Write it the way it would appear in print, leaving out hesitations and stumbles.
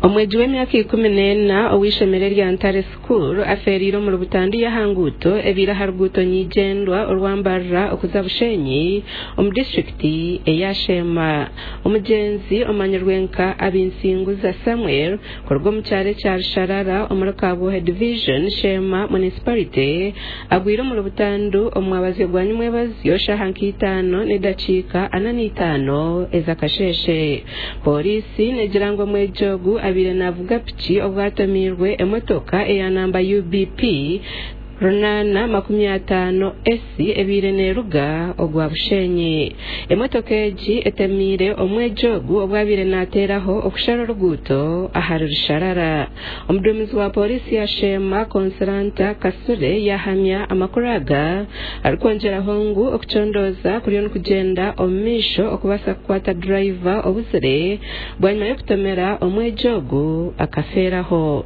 Omwegi w'emyaka 14 ow'eishomero erya Ntare School afeereire omuri butandu y'aha nguuto ebaire aha ruguuto nyigyendwa orwa Mbarara okuza Bushenyi omu disiturikiti eya Sheema. Omugyenzi omanyirwe nka Abinsinguza Samuel kuruga omu kyaro ekya Rusharara omuri Kabwohe Division, Sheema Municipality agwire omuri butandu omu mwabazyo gwa nyimwebazyo shaaha nka itaano n'edakiika 45 ez'akasheeshe. Pooriisi neegira ngu omwegi ogu abaire naavuga piki obu atomiirwe emotoka eya namba UBP 850 S ebaire neeruga ogwa Bushenyi. Emotoka egi etemiire omwegi ogu obu abaire naateeraho okushara oruguuto ahari Rusharara. Omuduumizi wa pooriisi ya Sheema, Consolanta Kasule yaahamya amakuru aga arikwongyeraho ngu okucondooza kuriyo nikugyenda omu maisho okubaasa kukwata durayiva obuzire bwanyima y'okutomera omwegi ogu akafeeraho.